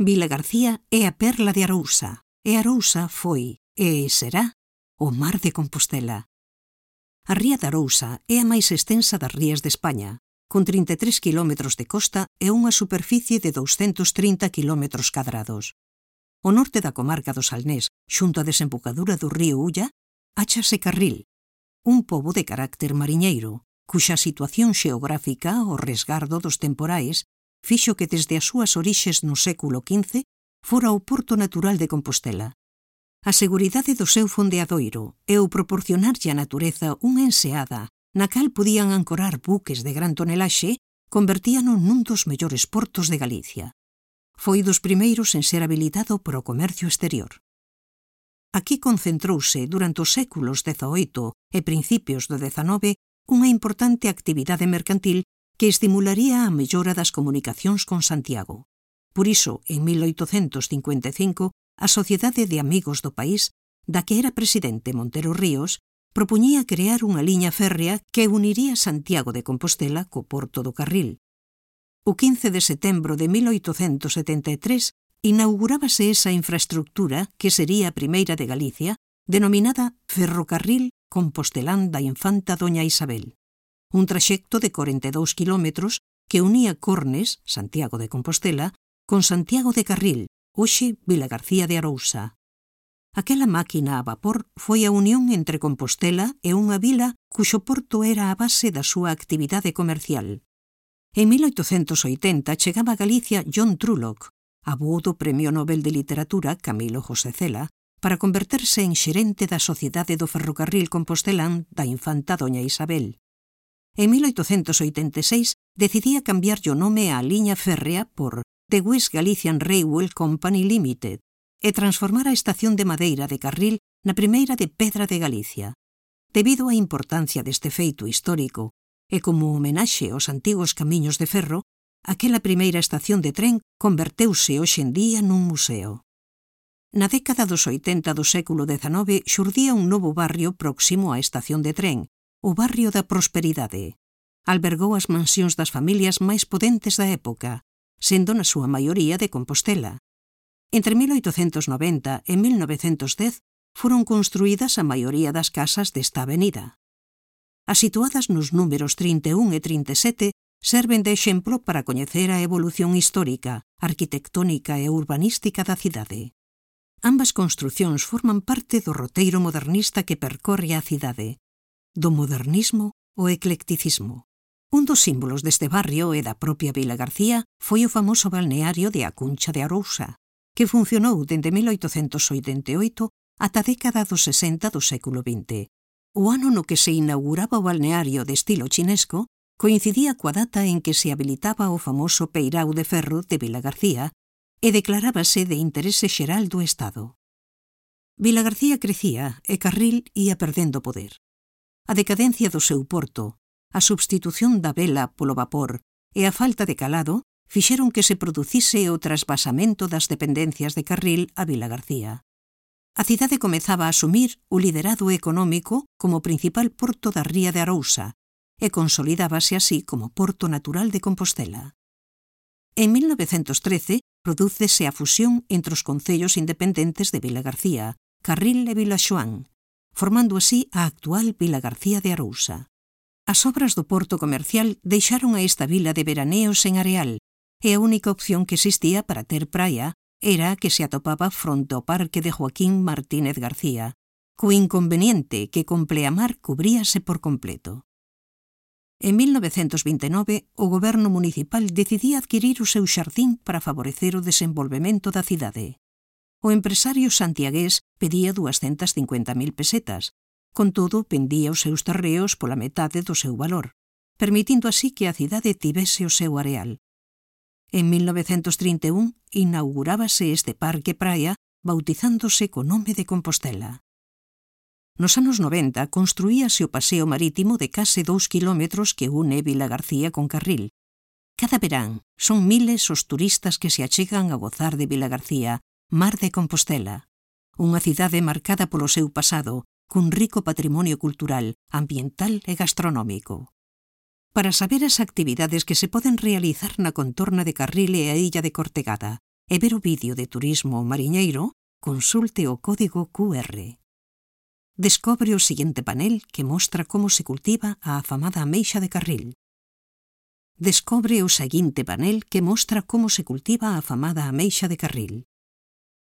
Vilagarcía é a perla de Arousa, e Arousa foi, e será, o mar de Compostela. A ría de Arousa é a máis extensa das rías de España, con 33 km de costa e unha superficie de 230 km cadrados. O norte da comarca do Salnés, xunto á desembocadura do río Ulla, áchase Carril, un pobo de carácter mariñeiro, cuxa situación xeográfica, o resgardo dos temporais, fixo que desde as súas orixes no século XV fora o porto natural de Compostela. A seguridade do seu fondeadoiro e o proporcionarlle á natureza unha enseada na cal podían ancorar buques de gran tonelaxe convertíano nun dos mellores portos de Galicia. Foi dos primeiros en ser habilitado para o comercio exterior. Aquí concentrouse durante os séculos XVIII e principios do XIX unha importante actividade mercantil que estimularía a mellora das comunicacións con Santiago. Por iso, en 1855, a Sociedade de Amigos do País, da que era presidente Montero Ríos, propoñía crear unha liña férrea que uniría Santiago de Compostela co porto do Carril. O 15 de setembro de 1873 inaugurábase esa infraestructura que sería a primeira de Galicia, denominada Ferrocarril Compostelán da Infanta Doña Isabel. Un traxecto de 42 kilómetros que unía Cornes, Santiago de Compostela, con Santiago de Carril, hoxe Vilagarcía de Arousa. Aquela máquina a vapor foi a unión entre Compostela e unha vila cuxo porto era a base da súa actividade comercial. En 1880 chegaba a Galicia John Trullock, avó do Premio Nobel de Literatura Camilo José Cela, para converterse en xerente da Sociedade do Ferrocarril Compostelán da Infanta Doña Isabel. En 1886 decidía cambiarlle o nome á liña férrea por The West Galician Railway Company Limited e transformar a estación de madeira de Carril na primeira de pedra de Galicia. Debido á importancia deste feito histórico e como homenaxe aos antigos camiños de ferro, aquela primeira estación de tren converteuse hoxe en día nun museo. Na década dos 80 do século XIX xurdía un novo barrio próximo á estación de tren, o barrio da Prosperidade. Albergou as mansións das familias máis potentes da época, sendo na súa maioría de Compostela. Entre 1890 e 1910 foron construídas a maioría das casas desta avenida. As situadas nos números 31 e 37 serven de exemplo para coñecer a evolución histórica, arquitectónica e urbanística da cidade. Ambas construcións forman parte do roteiro modernista que percorre a cidade, do modernismo ao eclecticismo. Un dos símbolos deste barrio e da propia Vilagarcía foi o famoso balneario de A Cuncha de Arousa, que funcionou dende 1888 ata a década dos 60 do século XX. O ano no que se inauguraba o balneario de estilo chinesco coincidía coa data en que se habilitaba o famoso peirao de ferro de Vilagarcía e declarábase de interese xeral do Estado. Vilagarcía crecía e Carril ia perdendo poder. A decadencia do seu porto, a substitución da vela polo vapor e a falta de calado fixeron que se producise o trasvasamento das dependencias de Carril a Vilagarcía. A cidade comezaba a asumir o liderado económico como principal porto da ría de Arousa e consolidábase así como porto natural de Compostela. En 1913 prodúcese a fusión entre os concellos independentes de Vilagarcía, Carril e Vilaxoán, formando así a actual Vilagarcía de Arousa. As obras do porto comercial deixaron a esta vila de veraneos en areal e a única opción que existía para ter praia era a que se atopaba fronte ao parque de Joaquín Martínez García, co inconveniente que con pleamar cubríase por completo. En 1929, o goberno municipal decidía adquirir o seu xardín para favorecer o desenvolvemento da cidade. O empresario santiagués pedía 250.000 pesetas, con todo vendía os seus terreos pola metade do seu valor, permitindo así que a cidade tivese o seu areal. En 1931 inaugurábase este parque praia bautizándose co nome de Compostela. Nos anos 90 construíase o paseo marítimo de case 2 kilómetros que une Vilagarcía con Carril. Cada verán son miles os turistas que se achegan a gozar de Vilagarcía, mar de Compostela, unha cidade marcada polo seu pasado, cun rico patrimonio cultural, ambiental e gastronómico. Para saber as actividades que se poden realizar na contorna de Carril e a illa de Cortegada e ver o vídeo de Turismo Mariñeiro, consulte o código QR. Descobre o seguinte panel que mostra como se cultiva a afamada ameixa de Carril. Descobre o seguinte panel que mostra como se cultiva a afamada ameixa de Carril.